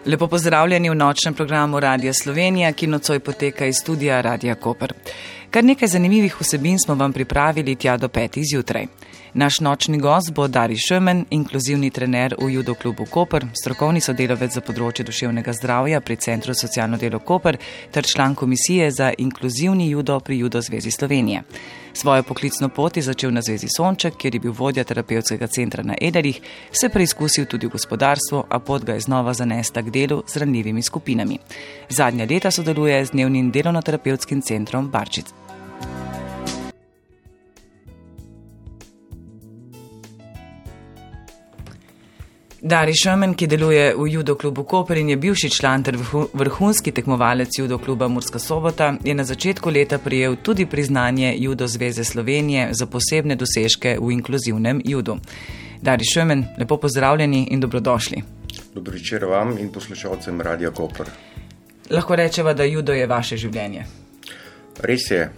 Lepo pozdravljeni v nočnem programu Radia Slovenija, ki nocoj poteka iz studia Radia Koper. Kar nekaj zanimivih vsebin smo vam pripravili tja do 5 zjutraj. Naš nočni gost bo Dari Šemen, inkluzivni trener v judo klubu Koper, strokovni sodelavec za področje duševnega zdravja pri Centru socialno delo Koper ter član komisije za inkluzivni judo pri Judo zvezi Slovenije. Svojo poklicno pot je začel na Zvezi Sonček, kjer je bil vodja terapevtskega centra na Ederih, se preizkusil tudi v gospodarstvu, a pot ga je znova zanesla k delu z ranljivimi skupinami. Zadnja leta sodeluje z dnevnim delovno-terapevtskim centrom Barčic. Dari Šemen, ki deluje v judo klubu Koper in je bivši član ter vrhunski tekmovalec judo kluba Murska Sobota, je na začetku leta prejel tudi priznanje Judo zveze Slovenije za posebne dosežke v inkluzivnem judu. Dari Šemen, lepo pozdravljeni in dobrodošli. Dobro večer vam in poslušalcem Radia Koper. Lahko rečeva, da judo je vaše življenje. Res je.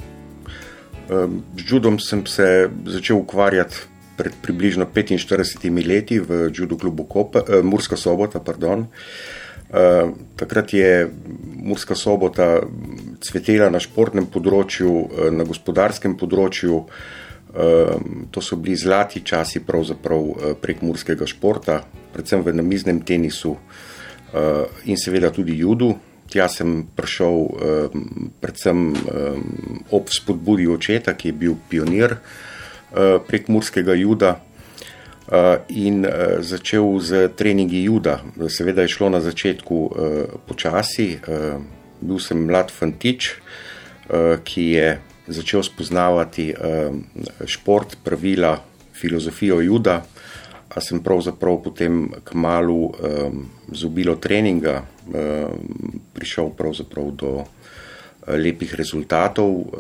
Z judom sem se začel ukvarjati pred približno 45 leti v judo klubu Murska Sobota. Takrat je Murska Sobota cvetela na športnem področju, na gospodarskem področju. To so bili zlati časi pravzaprav prek murskega športa, predvsem v namiznem tenisu in seveda tudi judu. Tja sem prišel predvsem ob spodbudi očeta, ki je bil pionir prek murskega juda in začel z treningi juda. Seveda je šlo na začetku počasi. Bil sem mlad fantič, ki je začel spoznavati šport, pravila, filozofijo juda, a sem pravzaprav potem kmalu z obilo treninga prišel pravzaprav do lepih rezultatov,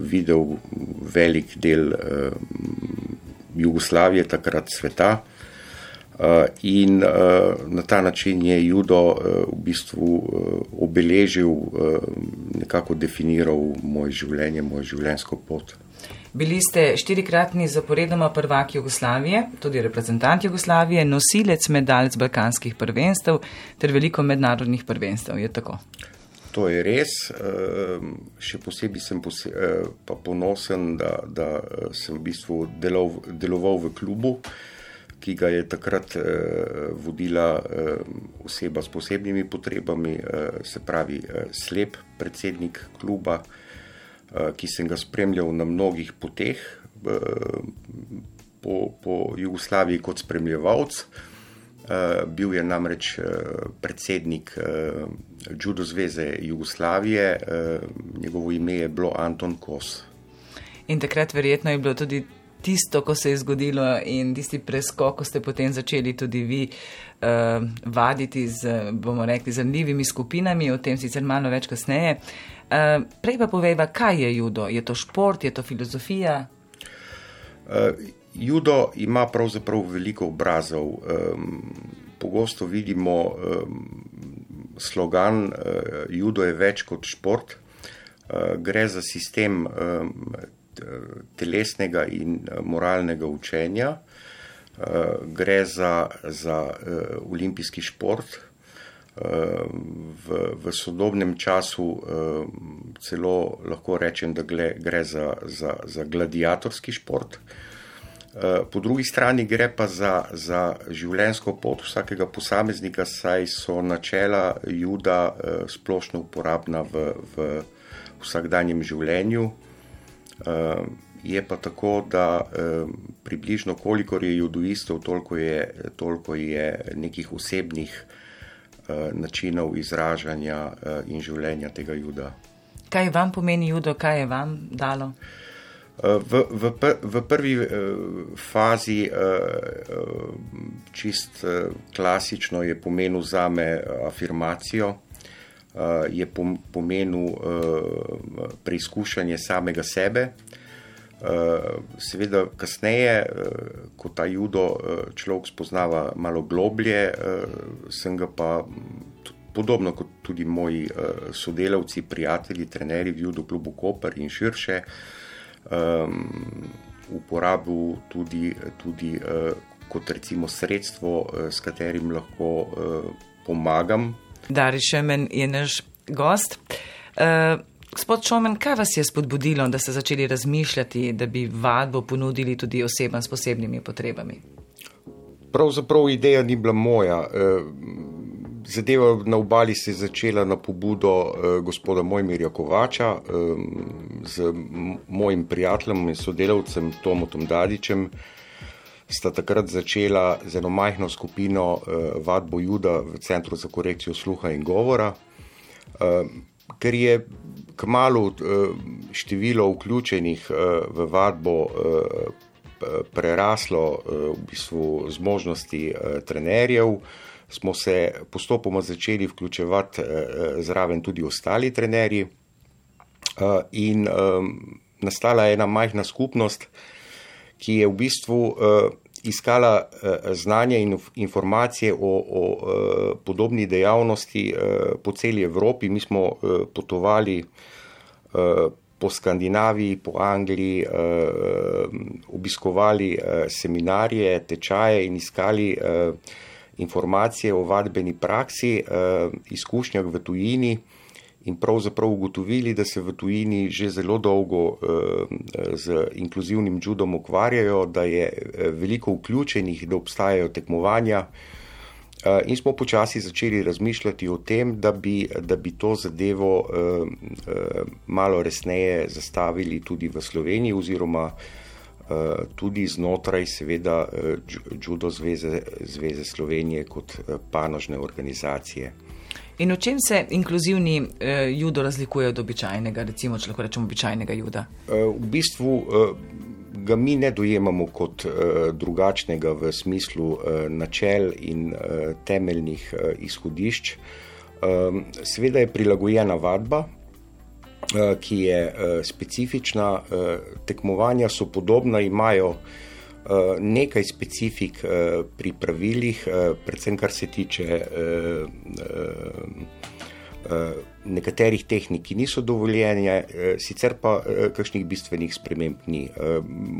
videl velik del Jugoslavije, takrat sveta, in na ta način je judo v bistvu obeležil, nekako definiral moje življenje, mojo življenjsko pot. Bili ste 4-kratni zaporedoma prvak Jugoslavije, tudi reprezentant Jugoslavije, nosilec medalj z balkanskih prvenstev ter veliko mednarodnih prvenstev, je tako? To je res. Še posebej sem pa ponosen, da sem v bistvu deloval v klubu, ki ga je takrat vodila oseba s posebnimi potrebami, se pravi slep predsednik kluba, ki sem ga spremljal na mnogih poteh po Jugoslaviji kot spremljevalc. Bil je namreč predsednik Judo zveze Jugoslavije, njegovo ime je bilo Anton Kos. In takrat verjetno je bilo tudi tisto, ko se je zgodilo in tisti preskok, ko ste potem začeli tudi vi vaditi z, bomo rekli, z ranljivimi skupinami, o tem sicer malo več kasneje. Prej pa povejva, kaj je judo? Je to šport, je to filozofija? Judo ima pravzaprav veliko obrazov. Pogosto vidimo slogan judo je več kot šport. Gre za sistem telesnega in moralnega učenja. Gre za olimpijski šport. V sodobnem času celo lahko rečem, da gre za gladiatorski šport. Po drugi strani gre pa za življenjsko pot vsakega posameznika, saj so načela juda splošno uporabna v vsakdanjem življenju. Je pa tako, da približno kolikor je judoistov, toliko je nekih osebnih načinov izražanja in življenja tega juda. Kaj vam pomeni judo, kaj je vam dalo? V prvi fazi čist klasično je pomenil zame afirmacijo, je pomenil preizkušanje samega sebe. Seveda kasneje, ko ta judo človek spoznava malo globlje, sem ga pa podobno kot tudi moji sodelavci, prijatelji, trenerji v judo klubu Koper in širše, uporabil tudi kot recimo sredstvo, s katerim lahko pomagam. Dariš Šomen je naš gost. Gospod Šomen, kaj vas je spodbudilo, da ste začeli razmišljati, da bi vadbo ponudili tudi osebam s posebnimi potrebami? Pravzaprav ideja ni bila moja. Zadeva na Obali se je začela na pobudo gospoda Mojmirja Kovača z mojim prijateljem in sodelavcem Tomotom Dadičem. Sta takrat začela z eno majhno skupino vadbo juda v Centru za korekcijo sluha in govora, ker je kmalu število vključenih v vadbo preraslo v bistvu zmožnosti trenerjev, smo se postopoma začeli vključevati zraven tudi ostali trenerji in nastala je ena majhna skupnost, ki je v bistvu iskala znanje in informacije o podobni dejavnosti po celi Evropi. Mi smo potovali po Skandinaviji, po Angliji, obiskovali seminarje, tečaje in iskali informacije o vadbeni praksi, izkušnjah v tujini in pravzaprav ugotovili, da se v tujini že zelo dolgo z inkluzivnim judom ukvarjajo, da je veliko vključenih, da obstajajo tekmovanja in smo počasi začeli razmišljati o tem, da bi to zadevo malo resneje zastavili tudi v Sloveniji oziroma tudi znotraj seveda Judo zveze Slovenije kot panožne organizacije. In v čem se inkluzivni judo razlikuje od običajnega, recimo, če lahko rečemo običajnega juda? V bistvu ga mi ne dojemamo kot drugačnega v smislu načel in temeljnih izhodišč. Seveda je prilagojena vadba, ki je specifična, tekmovanja so podobna, imajo nekaj specifik pri pravilih, predvsem kar se tiče nekaterih tehnik, ki niso dovoljene, sicer pa kakšnih bistvenih sprememb ni.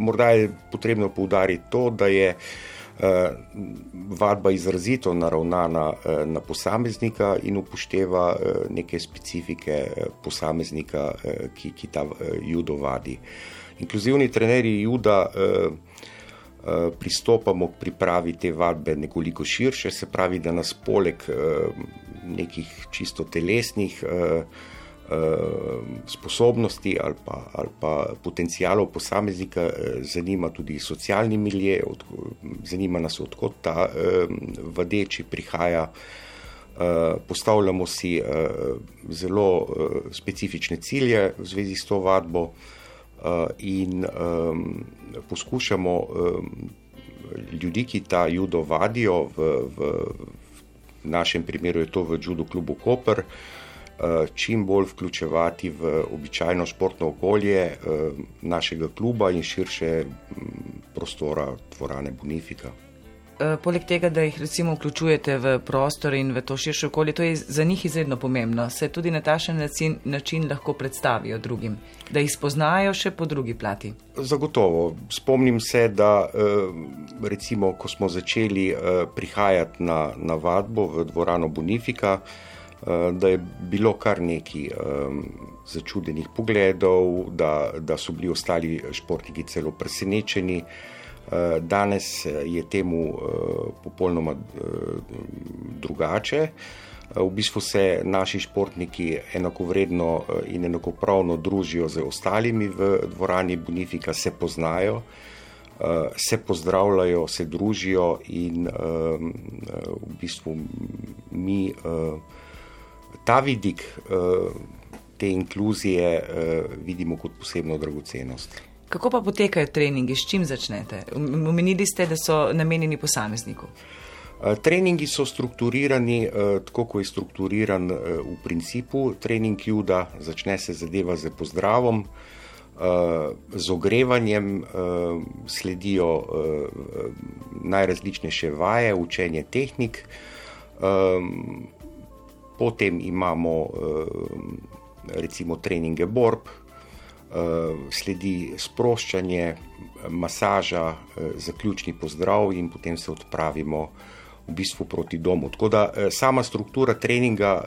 Morda je potrebno poudariti to, da je vadba izrazito naravnana na posameznika in upošteva neke specifike posameznika, ki ta judo vadi. Inkluzivni trenerji juda pristopamo k pripravi te vadbe nekoliko širše, se pravi, da nas poleg nekih čisto telesnih sposobnosti ali pa potencialov posameznika zanima tudi socialni milje, zanima nas, odkot ta vadeči prihaja. Postavljamo si zelo specifične cilje v zvezi s to vadbo in poskušamo ljudi, ki ta judo vadijo, v našem primeru je to v Judo klubu Koper, čim bolj vključevati v običajno športno okolje našega kluba in širše prostora dvorane Bonifika. Poleg tega, da jih recimo vključujete v prostor in v to širše okolje, to je za njih izredno pomembno. Se tudi na takšen način lahko predstavijo drugim, da jih spoznajo še po drugi plati. Zagotovo. Spomnim se, da recimo, ko smo začeli prihajati na vadbo v dvorano Bonifika, da je bilo kar nekaj začudenih pogledov, da so bili ostali športniki celo presenečeni. Danes je temu popolnoma drugače. V bistvu se naši športniki enakovredno in enakopravno družijo z ostalimi v dvorani Bonifika, se poznajo, se pozdravljajo, se družijo in v bistvu mi ta vidik te inkluzije vidimo kot posebno dragocenost. Kako pa potekajo treningi, s čim začnete? Omenili ste, da so namenjeni posamezniku. Treningi so strukturirani, tako kot je strukturiran v principu trening juda. Začne se zadeva z pozdravom, z ogrevanjem, sledijo najrazličnejše vaje, učenje tehnik. Potem imamo recimo treninge borb, sledi sproščanje, masaža, zaključni pozdrav in potem se odpravimo v bistvu proti domu. Tako da sama struktura treninga,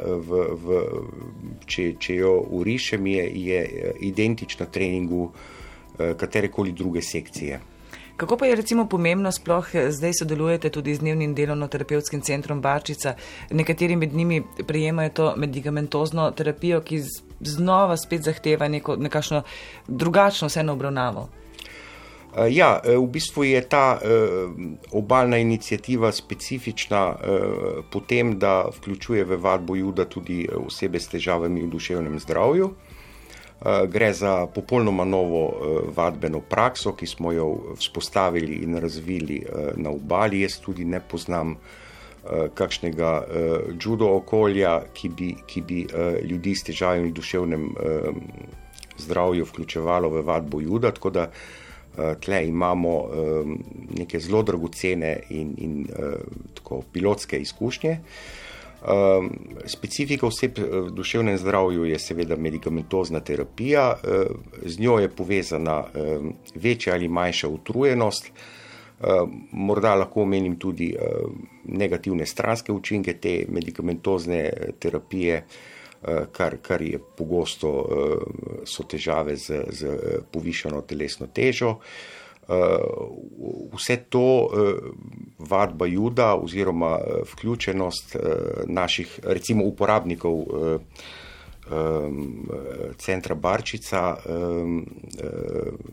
če jo urišem, je identična treningu katerekoli druge sekcije. Kako pa je recimo pomembno, sploh zdaj sodelujete tudi z dnevnim delovno-terapevtskim centrom Barčica, nekateri med njimi prejemajo to medikamentozno terapijo, ki znova spet zahteva nekakšno drugačno vseeno obravnavo? Ja, v bistvu je ta obalna iniciativa specifična po tem, da vključuje v vadbo juda tudi osebe s težavami v duševnem zdravju. Gre za popolnoma novo vadbeno prakso, ki smo jo vzpostavili in razvili na obali. Jaz tudi ne poznam kakšnega judo okolja, ki bi ljudi s težavami v duševnem zdravju vključevalo v vadbo juda, tako da tle imamo neke zelo dragocene in tako pilotske izkušnje. Specifika oseb v duševnem zdravju je seveda medikamentozna terapija, z njo je povezana večja ali manjša utrujenost, morda lahko omenim tudi negativne stranske učinke te medikamentozne terapije, kar je pogosto so težave z povišano telesno težo. Vse to vadba juda oziroma vključenost naših recimo uporabnikov centra Barčica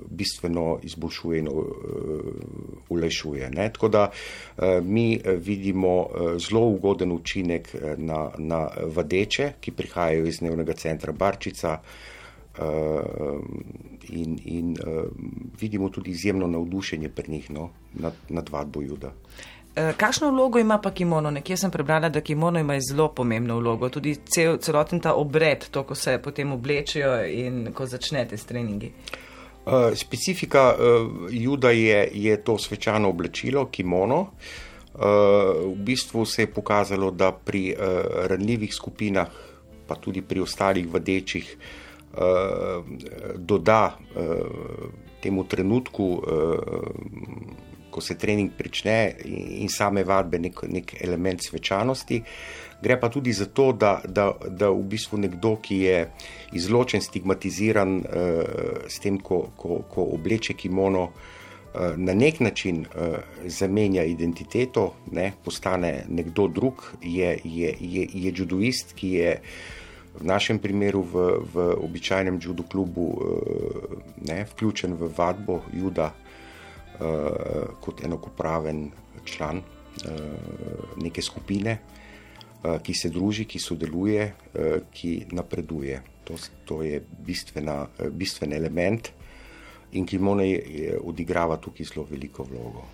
bistveno izboljšuje in olajšuje. Tako da mi vidimo zelo ugoden učinek na vadeče, ki prihajajo iz dnevnega centra Barčica, in vidimo tudi izjemno navdušenje pri njih nad vadbo juda. Kakšno vlogo ima pa kimono? Nekje sem prebrala, da kimono ima zelo pomembno vlogo, tudi celoten ta obred, to, ko se potem oblečejo in ko začnete s treningi. Specifika juda je to svečano oblačilo, kimono. V bistvu se je pokazalo, da pri ranljivih skupinah, pa tudi pri ostalih vadečih, doda temu trenutku, ko se trening prične in same vadbe nek element svečanosti. Gre pa tudi za to, da v bistvu nekdo, ki je izločen, stigmatiziran s tem, ko obleče kimono, na nek način zamenja identiteto, postane nekdo drug, je judoist, ki je v našem primeru v običajnem judo klubu vključen v vadbo juda kot enakopraven član neke skupine, ki se druži, ki sodeluje, ki napreduje. To je bistven element in kimono odigrava tukaj zelo veliko vlogo.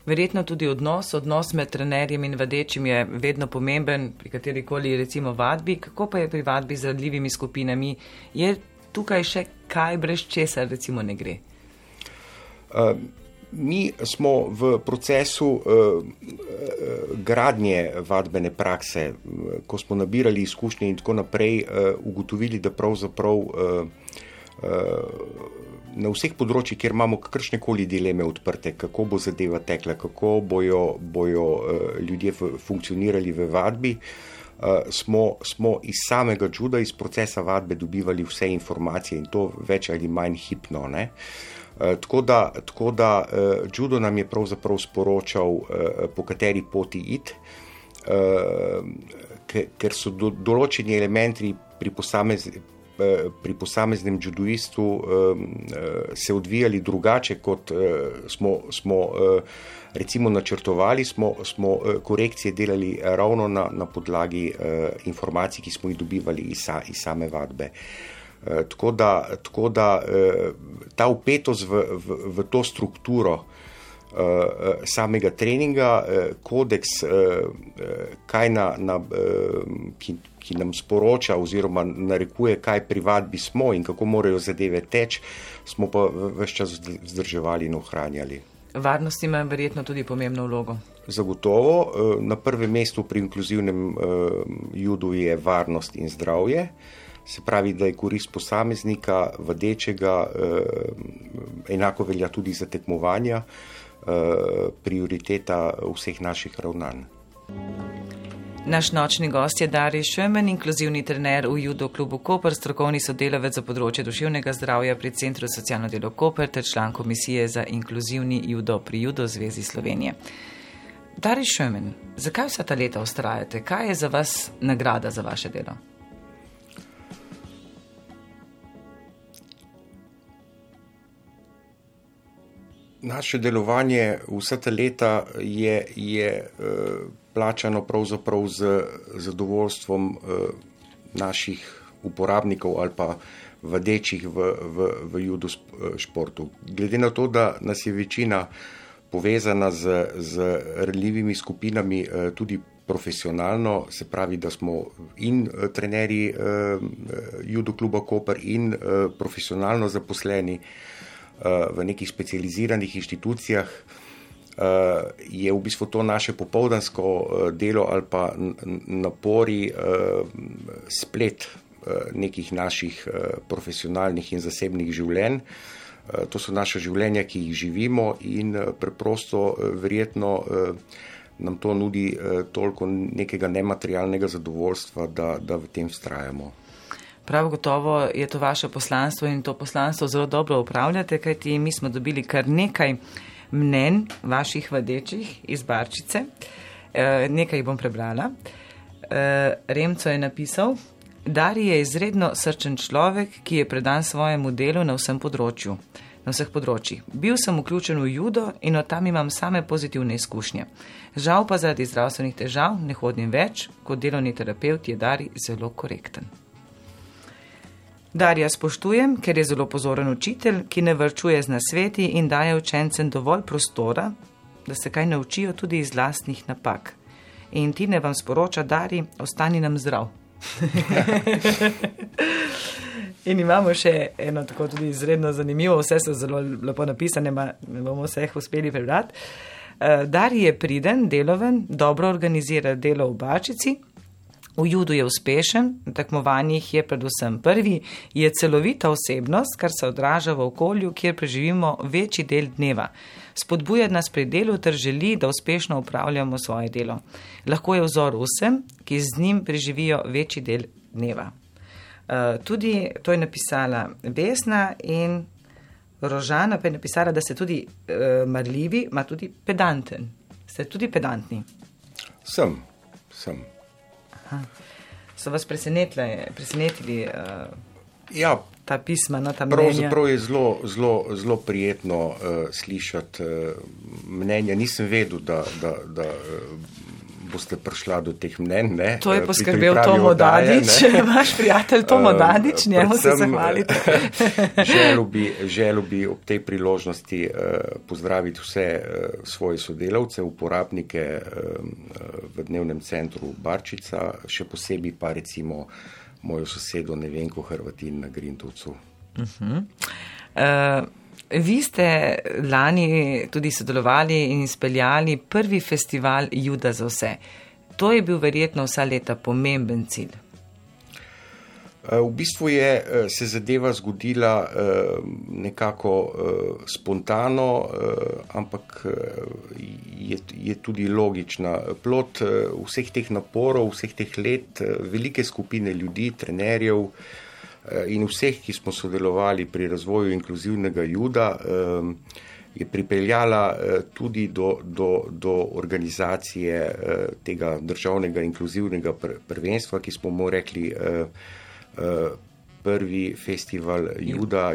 Verjetno tudi odnos med trenerjem in vadečim je vedno pomemben pri katerikoli recimo vadbi. Kako pa je pri vadbi z ranljivimi skupinami? Je tukaj še kaj, brez česa recimo ne gre? Mi smo v procesu gradnje vadbene prakse, ko smo nabirali izkušnje in tako naprej, ugotovili, da pravzaprav na vseh področjih, kjer imamo kakršnekoli dileme odprte, kako bo zadeva tekla, kako bojo ljudje funkcionirali v vadbi, smo iz samega juda, iz procesa vadbe dobivali vse informacije in to več ali manj hipno. Tako da judo nam je pravzaprav sporočal, po kateri poti iti, ker so določeni elementi pri posameznem judoistu se odvijali drugače, kot smo recimo načrtovali, smo korekcije delali ravno na podlagi informacij, ki smo jih dobivali iz same vadbe. Tako da ta vpetost v to strukturo samega treninga, kodeks, ki nam sporoča oziroma narekuje, kaj pri vadbi smo in kako morajo zadeve teči, smo pa ves čas vzdrževali in ohranjali. Varnost ima verjetno tudi pomembno vlogo. Zagotovo. Na prvem mestu pri inkluzivnem judu je varnost in zdravje. Se pravi, da je korist posameznika, vadečega, enako velja tudi za tekmovanja, prioriteta vseh naših ravnanj. Naš nočni gost je Darij Šömen, inkluzivni trener v Judo klubu Koper, strokovni sodelavec za področje duševnega zdravja pri Centru za socialno delo Koper ter član komisije za inkluzivni judo pri Judo zvezi Slovenije. Darij Šömen, zakaj vsa ta leta vztrajate? Kaj je za vas nagrada za vaše delo? Naše delovanje vsa ta leta je plačano pravzaprav z zadovoljstvom naših uporabnikov ali pa vadečih v judo športu. Glede na to, da nas je večina povezana z ranljivimi skupinami tudi profesionalno, se pravi, da smo in trenerji Judo kluba Koper in profesionalno zaposleni v nekih specializiranih inštitucijah, je v bistvu to naše popoldansko delo ali pa napori splet nekih naših profesionalnih in zasebnih življenj. To so naša življenja, ki jih živimo in preprosto verjetno nam to nudi toliko nekega nematerialnega zadovoljstva, da v tem vztrajamo. Prav gotovo je to vaše poslanstvo in to poslanstvo zelo dobro upravljate, kajti mi smo dobili kar nekaj mnenj vaših vadečih iz Barčice. Nekaj bom prebrala. Remco je napisal: Darij je izredno srčen človek, ki je predan svojemu delu na vseh področjih. Bil sem vključen v judo in od tam imam same pozitivne izkušnje. Žal pa zaradi zdravstvenih težav ne hodim več, kot delovni terapevt je Darij zelo korekten. Darija spoštujem, ker je zelo pozoren učitelj, ki ne varčuje z nasveti in daje učencem dovolj prostora, da se kaj naučijo tudi iz lastnih napak. In Tine vam sporoča: Darij, ostani nam zdrav. In imamo še eno tako tudi izredno zanimivo, vse so zelo lepo napisane, ne bomo vseh uspeli prebrati. Darij je priden, deloven, dobro organizira delo v Barčici, v judu je uspešen, na tekmovanjih je predvsem prvi, je celovita osebnost, kar se odraža v okolju, kjer preživimo večji del dneva. Spodbuja nas pri delu ter želi, da uspešno upravljamo svoje delo. Lahko je vzor vsem, ki z njim preživijo večji del dneva. Tudi to je napisala Vesna in Rožana pa je napisala, da ste tudi marljivi, ma tudi pedanten. Ste tudi pedantni? Sem. Aha. So vas presenetili ta pisma, ta mnenja? Pravzaprav je zelo prijetno slišati mnenja. Nisem vedel, da boste prišla do teh mnenj. Ne? To je poskrbel Tomo Dadič, vaš prijatelj Tomo Dadič, njemu se zahvalite. Želel bi ob tej priložnosti pozdraviti vse svoje sodelavce, uporabnike v dnevnem centru Barčica, še posebej pa recimo mojo sosedo Nevenko Hrvatin na Grintovcu. Vi ste lani tudi sodelovali in izpeljali prvi festival Juda za vse. To je bil verjetno vsa leta pomemben cilj. V bistvu se zadeva zgodila nekako spontano, ampak je tudi logična. Plod vseh teh naporov, vseh teh let, velike skupine ljudi, trenerjev in vseh, ki smo sodelovali pri razvoju inkluzivnega juda, je pripeljala tudi do organizacije tega državnega inkluzivnega prvenstva, ki smo mu rekli prvi festival juda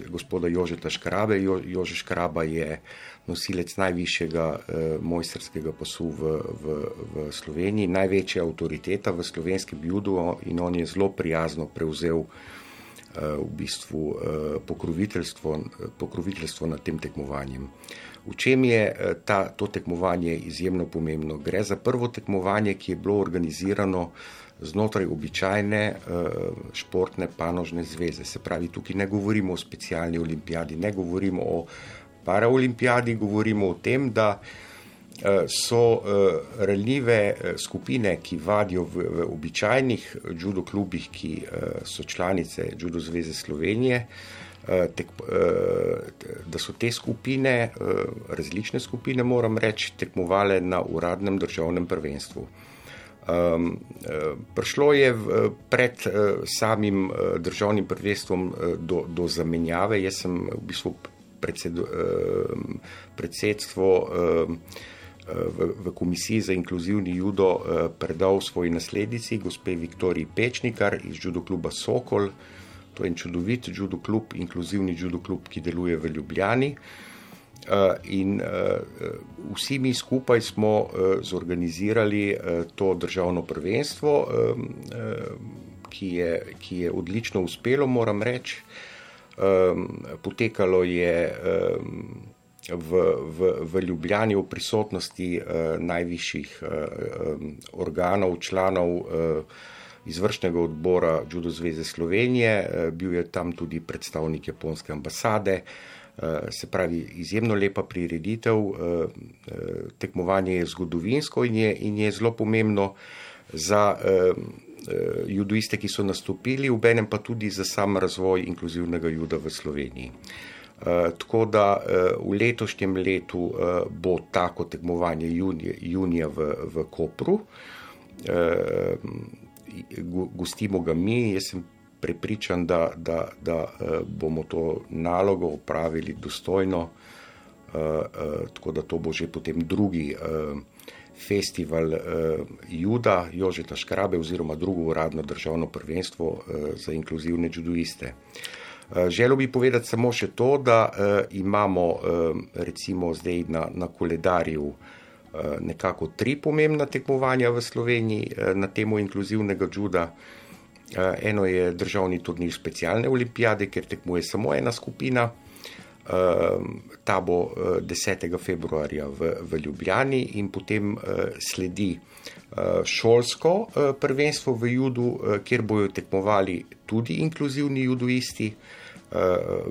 gospoda Jožeta Škrabe. Jože Škraba je nosilec najvišjega mojstrskega pasu v Sloveniji, največja avtoriteta v slovenskem judu in on je zelo prijazno prevzel v bistvu pokroviteljstvo nad tem tekmovanjem. V čem je to tekmovanje izjemno pomembno? Gre za prvo tekmovanje, ki je bilo organizirano znotraj običajne športne panožne zveze. Se pravi, tukaj ne govorimo o specialni olimpijadi, ne govorimo o paraolimpijadi, govorimo o tem, da so ranljive skupine, ki vadijo v običajnih judo klubih, ki so članice Judo zveze Slovenije, da so te skupine, različne skupine, moram reči, tekmovale na uradnem državnem prvenstvu. Prišlo je pred samim državnim prvenstvom do zamenjave. Jaz sem v bistvu predsedstvo v Komisiji za inkluzivni judo predal svoji naslednici, gospe Viktoriji Pečnikar iz judo kluba Sokol. To je en čudovit judo klub, inkluzivni judo klub, ki deluje v Ljubljani. In vsi mi skupaj smo zorganizirali to državno prvenstvo, ki je odlično uspelo, moram reči. Potekalo je v Ljubljani v prisotnosti najvišjih organov, članov izvršnega odbora Judo zveze Slovenije, bil je tam tudi predstavnik japonske ambasade. Se pravi, izjemno lepa prireditev, tekmovanje je zgodovinsko in je zelo pomembno za judoiste, ki so nastopili, obenem pa tudi za sam razvoj inkluzivnega juda v Sloveniji. Tako da v letošnjem letu bo tako tekmovanje junija v Kopru. Gostimo ga mi, jaz sem prepričan, da bomo to nalogo opravili dostojno, tako da to bo že potem drugi festival juda Jožeta Škrabe oziroma drugo uradno državno prvenstvo za inkluzivne judoiste. Želel bi povedati samo še to, da imamo recimo zdaj na koledarju nekako 3 pomembna tekmovanja v Sloveniji na temo inkluzivnega juda. Eno je državni turnir specialne olimpijade, kjer tekmuje samo ena skupina. Ta bo 10. februarja v Ljubljani in potem sledi šolsko prvenstvo v judu, kjer bojo tekmovali tudi inkluzivni judoisti.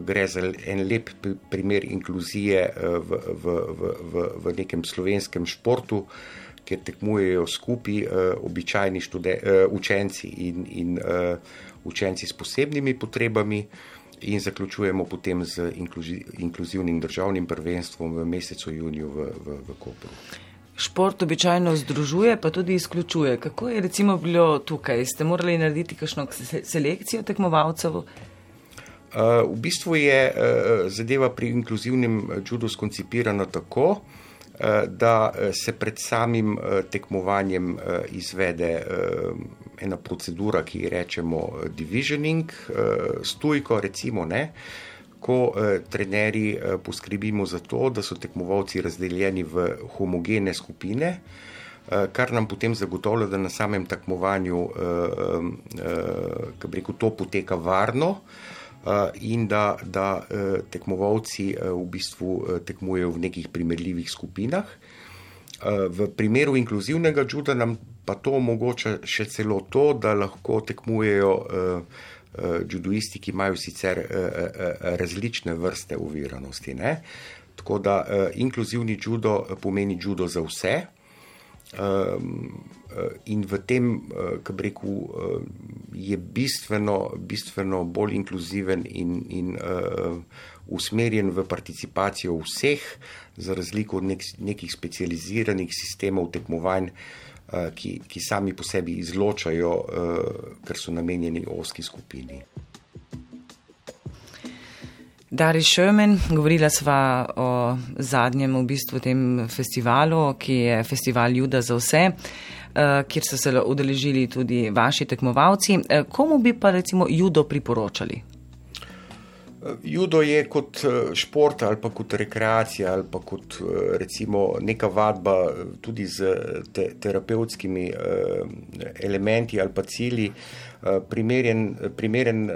Gre za en lep primer inkluzije v nekem slovenskem športu, kjer tekmujejo skupaj običajni učenci in učenci s posebnimi potrebami in zaključujemo potem z inkluzivnim državnim prvenstvom v mesecu juniju v Kopru. Šport običajno združuje, pa tudi izključuje. Kako je recimo bilo tukaj? Ste morali narediti kakšno selekcijo tekmovalcev? V bistvu je zadeva pri inkluzivnem judu skoncipirana tako, da se pred samim tekmovanjem izvede ena procedura, ki rečemo divisioning, s tujko recimo, ko trenerji poskrbimo za to, da so tekmovalci razdeljeni v homogene skupine, kar nam potem zagotavlja, da na samem tekmovanju to poteka varno, in da tekmovalci v bistvu tekmujejo v nekih primerljivih skupinah. V primeru inkluzivnega juda nam pa to omogoča še celo to, da lahko tekmujejo judoisti, ki imajo sicer različne vrste oviranosti. Tako da inkluzivni judo pomeni judo za vse. In v tem, kako bi rekel, je bistveno bolj inkluziven in usmerjen v participacijo vseh, za razliko od nekih specializiranih sistemov tekmovanj, ki sami po sebi izločajo, ker so namenjeni ozki skupini. Dari Schömen, govorila sva o zadnjem v bistvu tem festivalu, ki je festival juda za vse, kjer so se udeležili tudi vaši tekmovalci. Komu bi pa recimo judo priporočali? Judo je kot šport ali pa kot rekreacija ali pa kot recimo neka vadba tudi z terapevtskimi elementi ali pa cilji, primeren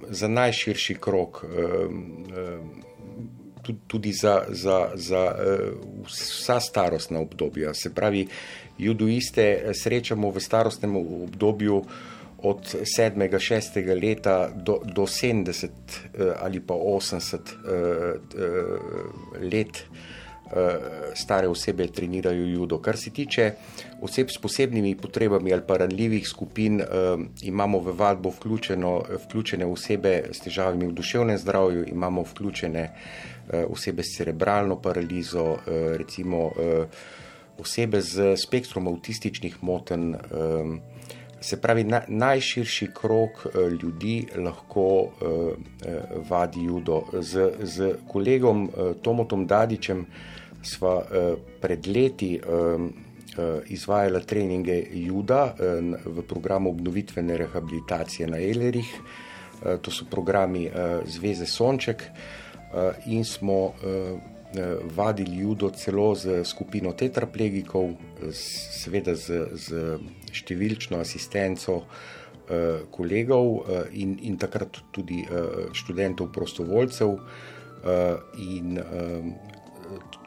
za najširši krog, tudi za vsa starostna obdobja. Se pravi, judoiste srečamo v starostnem obdobju od 7. 6. leta do 70 ali pa 80 let stare osebe trenirajo judo. Kar se tiče oseb s posebnimi potrebami ali pa ranljivih skupin, imamo v vadbo vključene osebe s težavami v duševnem zdravju, imamo vključene osebe s cerebralno paralizo, recimo osebe z spektrom avtističnih motenj. Se pravi, najširši krog ljudi lahko vadi judo. Z kolegom Tomotom Dadičem sva pred leti izvajala treninge juda v programu obnovitvene rehabilitacije na Ehlerih. To so programi Zveze Sonček in smo vadili judo celo z skupino tetraplegikov, seveda z številčno asistenco kolegov in takrat tudi študentov prostovoljcev. In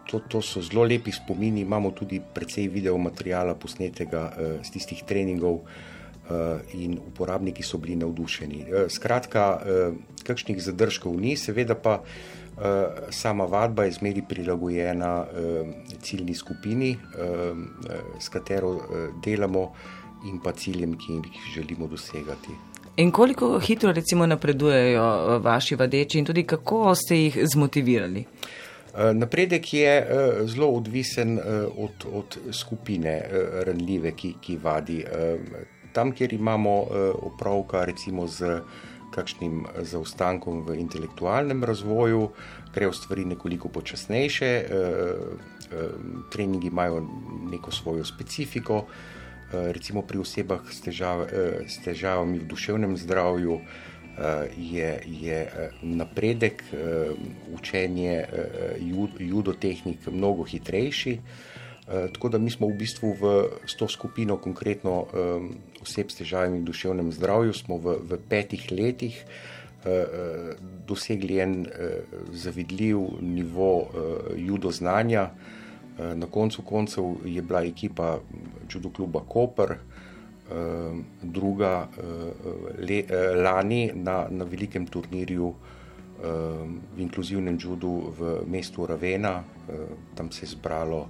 to so zelo lepi spomini, imamo tudi precej videomateriala posnetega z tistih treningov in uporabniki so bili navdušeni. Skratka, kakšnih zadržkov ni, seveda pa sama vadba je zmeri prilagojena ciljni skupini, s katero delamo in pa ciljem, ki jih želimo dosegati. In koliko hitro recimo napredujejo vaši vadeči in tudi kako ste jih zmotivirali? Napredek je zelo odvisen od skupine ranljive, ki vadi. Tam, kjer imamo opravka recimo z kakšnim zaostankom v intelektualnem razvoju, grejo stvari nekoliko počasnejše, treningi imajo neko svojo specifiko, recimo pri osebah s težavami v duševnem zdravju je napredek, učenje judotehnik mnogo hitrejši, tako da mi smo v bistvu s to skupino konkretno oseb s težavami v duševnem zdravju smo v 5 letih dosegli en zavidljiv nivo judo znanja. Na koncu koncev je bila ekipa judo kluba Koper, druga lani na velikem turnirju v inkluzivnem judu v mestu Ravena. Tam se je zbralo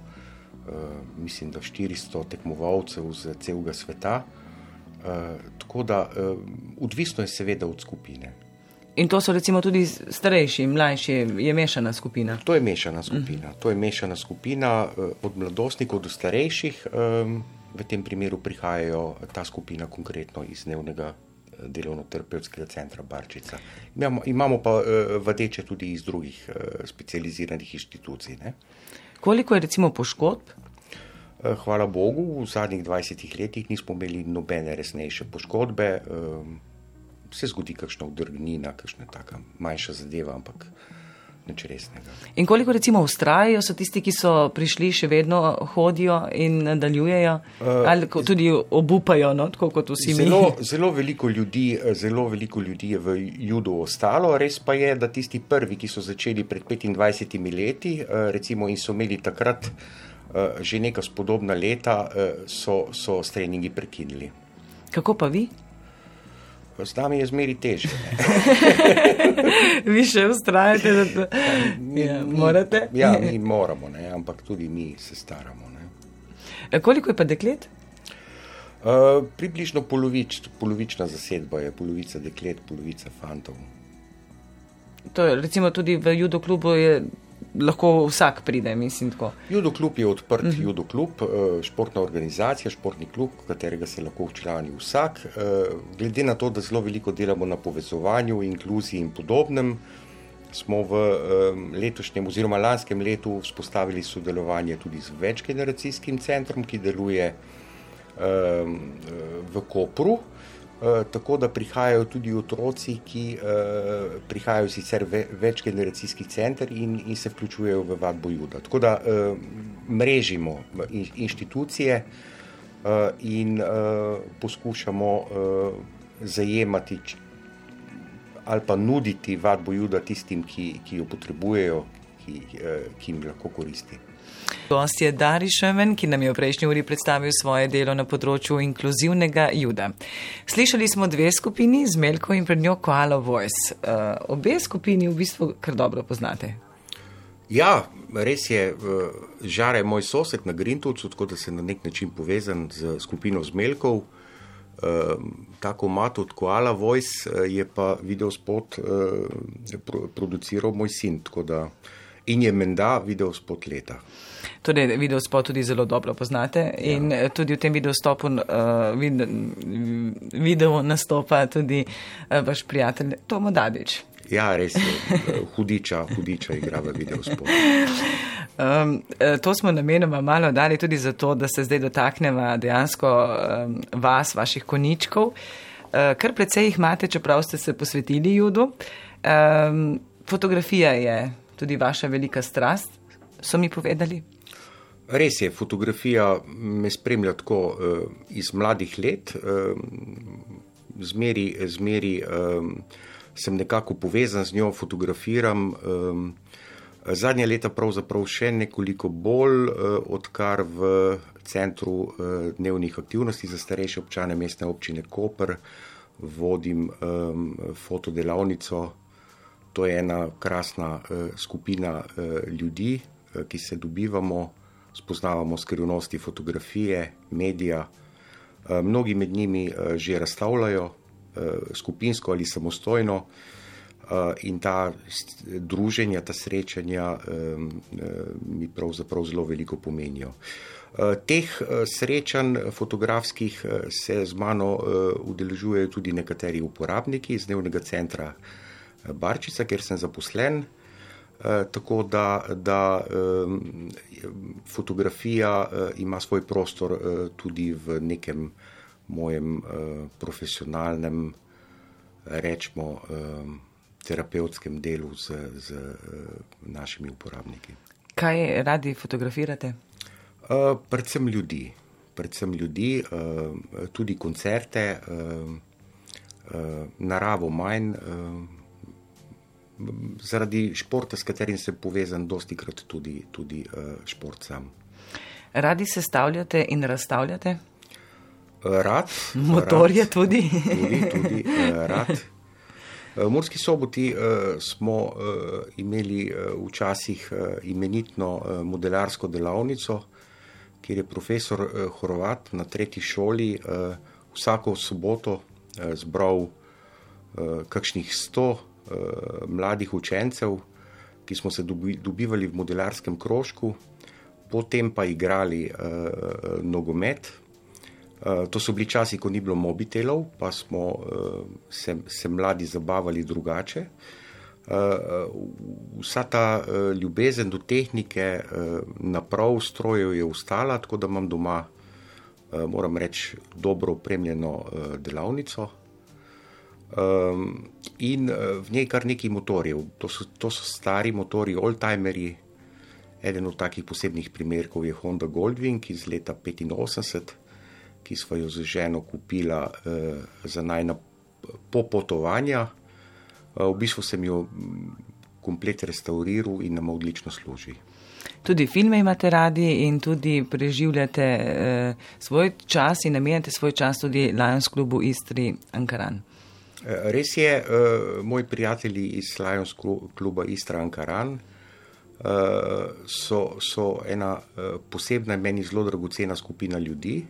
mislim, da 400 tekmovalcev z celega sveta. Tako da odvisno je seveda od skupine. In to so recimo tudi starejši, mlajši, je mešana skupina? To je mešana skupina. To je mešana skupina od mladostnikov do starejših. V tem primeru prihajajo ta skupina konkretno iz dnevnega delovno-terapevtskega centra Barčica. Imamo pa vadeče tudi iz drugih specializiranih inštitucij. Ne? Koliko je recimo poškodb? Hvala Bogu, v zadnjih 20 letih nismo imeli nobene resnejše poškodbe. Se zgodi kakšna udrgnina, kakšna taka manjša zadeva, ampak nič resnega. In koliko recimo vztrajajo so tisti, ki so prišli, še vedno hodijo in nadaljujejo? Ali tudi obupajo, no, tako kot vsi mi? Zelo veliko ljudi je v judu ostalo. Res pa je, da tisti prvi, ki so začeli pred 25 leti, recimo in so imeli takrat že neka spodobna leta, so s treningi prekinili. Kako pa vi? Z nami je zmeri težje. Vi še vztrajate, da morate? Ja, mi moramo, ne, ampak tudi mi se staramo. Ne. Koliko je pa deklet? Približno polovična zasedba je, polovica deklet, polovica fantov. To je recimo tudi v judo klubu je lahko vsak pride, mislim tako. Judo klub je odprt judo klub, športna organizacija, športni klub, katerega se lahko včlani vsak. Glede na to, da zelo veliko delamo na povezovanju, inkluziji in podobnem, smo v letošnjem oziroma lanskem letu vzpostavili sodelovanje tudi z večgeneracijskim centrom, ki deluje v Kopru. Tako da prihajajo tudi otroci, ki prihajajo sicer večgeneracijski center in se vključujejo v vadbo juda. Tako da mrežimo inštitucije in poskušamo zajemati ali pa nuditi vadbo juda tistim, ki jo potrebujejo, ki jim lahko koristi. Gost je Dari Šemen, ki nam je v prejšnji uri predstavil svoje delo na področju inkluzivnega juda. Slišali smo 2 skupini, Zmelko in pred njo Koala Voice. Obe skupini v bistvu kar dobro poznate. Ja, res je. Žara je moj sosed na Grintovcu, tako da se na nek način povezan z skupino Zmelkov. Tako mat od Koala Voice je pa videospot produciral moj sin, tako da in je menda videospot leta. Torej, videospot tudi zelo dobro poznate in tudi v tem videu nastopa tudi vaš prijatelj Tomo Dadič. Ja, res je. Hudiča igra v videospotu. To smo namenoma malo dali tudi zato, da se zdaj dotakneva dejansko vas, vaših konjičkov. Kar precej jih imate, čeprav ste se posvetili judu. Fotografija je tudi vaša velika strast, so mi povedali. Res je, fotografija me spremlja tako iz mladih let. Zmeri sem nekako povezan z njo, fotografiram. Zadnja leta pravzaprav še nekoliko bolj, odkar v Centru dnevnih aktivnosti za starejše občane Mestne občine Koper vodim fotodelavnico. To je ena krasna skupina ljudi, ki se dobivamo, spoznavamo skrivnosti fotografije, medija. Mnogi med njimi že razstavljajo, skupinsko ali samostojno, in ta druženja, ta srečanja mi pravzaprav zelo veliko pomenijo. Teh srečanj fotografskih se z mano udeležujejo tudi nekateri uporabniki iz dnevnega centra Barčica, kjer sem zaposlen, tako da fotografija ima svoj prostor tudi v nekem mojem profesionalnem, rečemo, terapevtskem delu z našimi uporabniki. Kaj radi fotografirate? Predvsem ljudi, tudi koncerte, naravo manj, zaradi športa, s katerim sem povezan, dostikrat tudi šport sam. Radi sestavljate in razstavljate? Rad. Motorje tudi? Tudi rad. V Murski Soboti smo imeli včasih imenitno modelarsko delavnico, kjer je profesor Horvat na 3. šoli vsako soboto zbral kakšnih 100 mladih učencev, ki smo se dobivali v modelarskem krožku, potem pa igrali nogomet. To so bili časi, ko ni bilo mobitelov, pa smo se mladi zabavali drugače. Vsa ta ljubezen do tehnike, naprav, strojev je ostala, tako da imam doma, moram reči, dobro opremljeno delavnico. In v njej kar nekaj motorjev. To so stari motorji, oldtimerji. Eden od takih posebnih primerkov je Honda Goldwing iz leta 85, ki sva jo z ženo kupila za najna popotovanja. V bistvu sem jo komplet restauriral in nam odlično služi. Tudi filme imate radi in tudi preživljate svoj čas in namenjate svoj čas tudi Lions klubu Istri Ankaran. Res je, moji prijatelji iz Lions kluba Istra Ankaran so ena posebna, meni zelo dragocena skupina ljudi.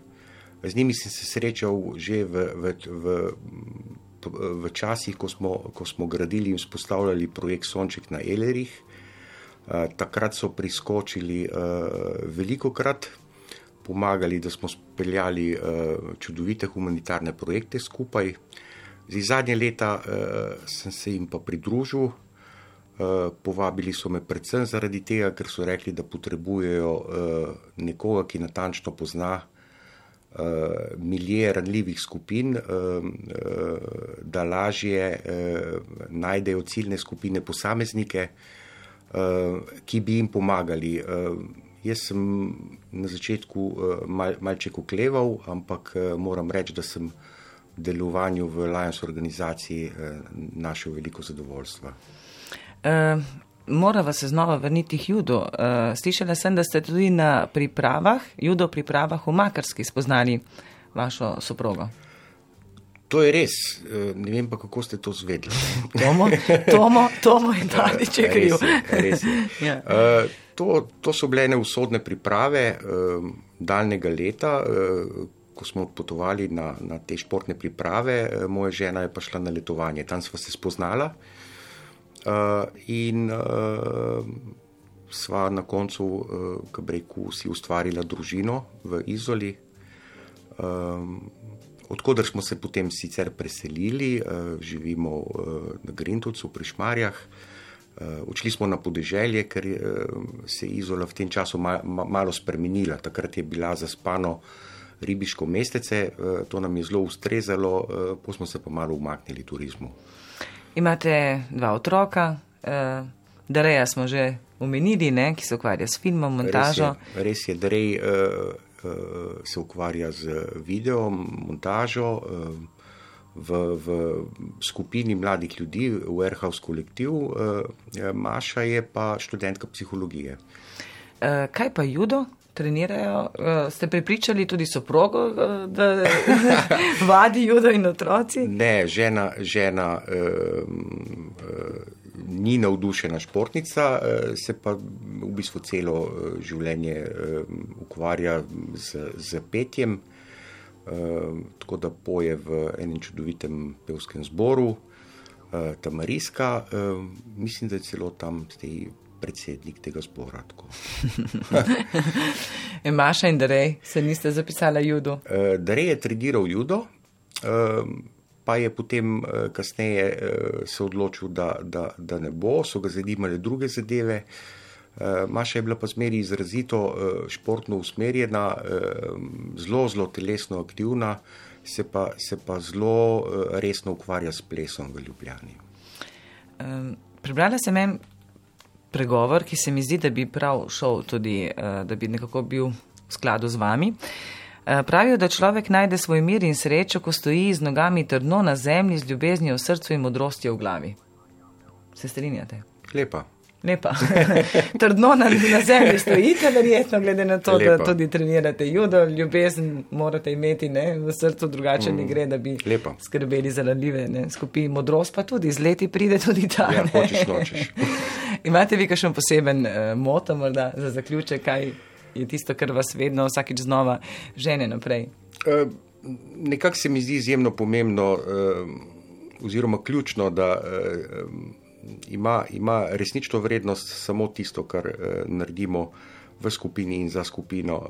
Z njimi sem se srečal že v časih, ko smo gradili in vzpostavljali projekt Sonček na Elerih. Takrat so priskočili velikokrat, pomagali, da smo speljali čudovite humanitarne projekte skupaj. Zadnje leta sem se jim pa pridružil. Povabili so me predvsem zaradi tega, ker so rekli, da potrebujejo nekoga, ki natančno pozna milje ranljivih skupin, da lažje najdejo ciljne skupine posameznike, ki bi jim pomagali. Jaz sem na začetku malček okleval, ampak moram reči, da sem v delovanju v Lions organizaciji našel veliko zadovoljstva. Morava se znova vrniti k judu. Slišala sem, da ste tudi na judo pripravah v Makarski spoznali vašo soprogo. To je res. Ne vem pa, kako ste to zvedli. Tomo in Dadič je kriv. Res je. Ja. To so bile ene usodne priprave daljnega leta, ko smo odpotovali na te športne priprave. Moja žena je pa šla na letovanje. Tam sva se spoznala. In sva na koncu, ko bi rekel, si ustvarila družino v Izoli, odkoder smo se potem sicer preselili, živimo na Grintovcu pri Šmarjah. Odšli smo na podeželje, ker se je Izola v tem času malo spremenila. Takrat je bila zaspano ribiško mestece, to nam je zelo ustrezalo, potem smo se pa malo umaknili turizmu. Imate 2 otroka, Dareja smo že omenili, ki se ukvarja s filmom, montažo. Res je, Darej se ukvarja z video, montažo, v skupini mladih ljudi, v Warehouse kolektiv, Maša je pa študentka psihologije. Kaj pa judo? Trenirajo? Ste prepričali tudi soprogo, da vadi judo in otroci? Ne, žena ni navdušena športnica, se pa v bistvu celo življenje ukvarja z petjem. Tako da poje v enem čudovitem pevskem zboru, Tamariska, mislim, da je celo tam predsednik tega zbora. Maša in Darej se niste zapisala judo? Darej je treniral judo, pa je potem kasneje se odločil, da ne bo, so ga zanimale druge zadeve. Maša je bila pa zmeri izrazito športno usmerjena, zelo telesno aktivna, se pa zelo resno ukvarja s plesom v Ljubljani. Prebrala sem en pregovor, ki se mi zdi, da bi prav šel tudi, da bi nekako bil v skladu z vami. Pravijo, da človek najde svoj mir in srečo, ko stoji z nogami trdno na zemlji, z ljubeznijo v srcu in modrostjo v glavi. Se strinjate? Lepa. Trdno na zemlji stojite, verjetno, glede na to, da tudi trenirate judo, ljubezen morate imeti v srcu, drugače ne gre, da bi skrbeli za ranljive skupine. Modrost pa tudi, z leti pride tudi ta. Ja, hočeš, nočeš. Imate vi kakšen poseben moto morda za zaključek, kaj je tisto, kar vas vedno vsakič znova žene naprej? Nekako se mi zdi izjemno pomembno oziroma ključno, da ima resnično vrednost samo tisto, kar naredimo v skupini in za skupino.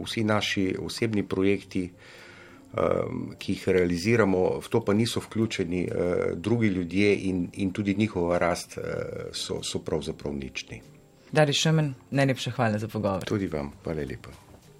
Vsi naši osebni projekti, ki jih realiziramo, v to pa niso vključeni drugi ljudje in tudi njihova rast so pravzaprav nični. Darij Šumen, najlepša hvala za pogovor. Tudi vam, hvala lepa.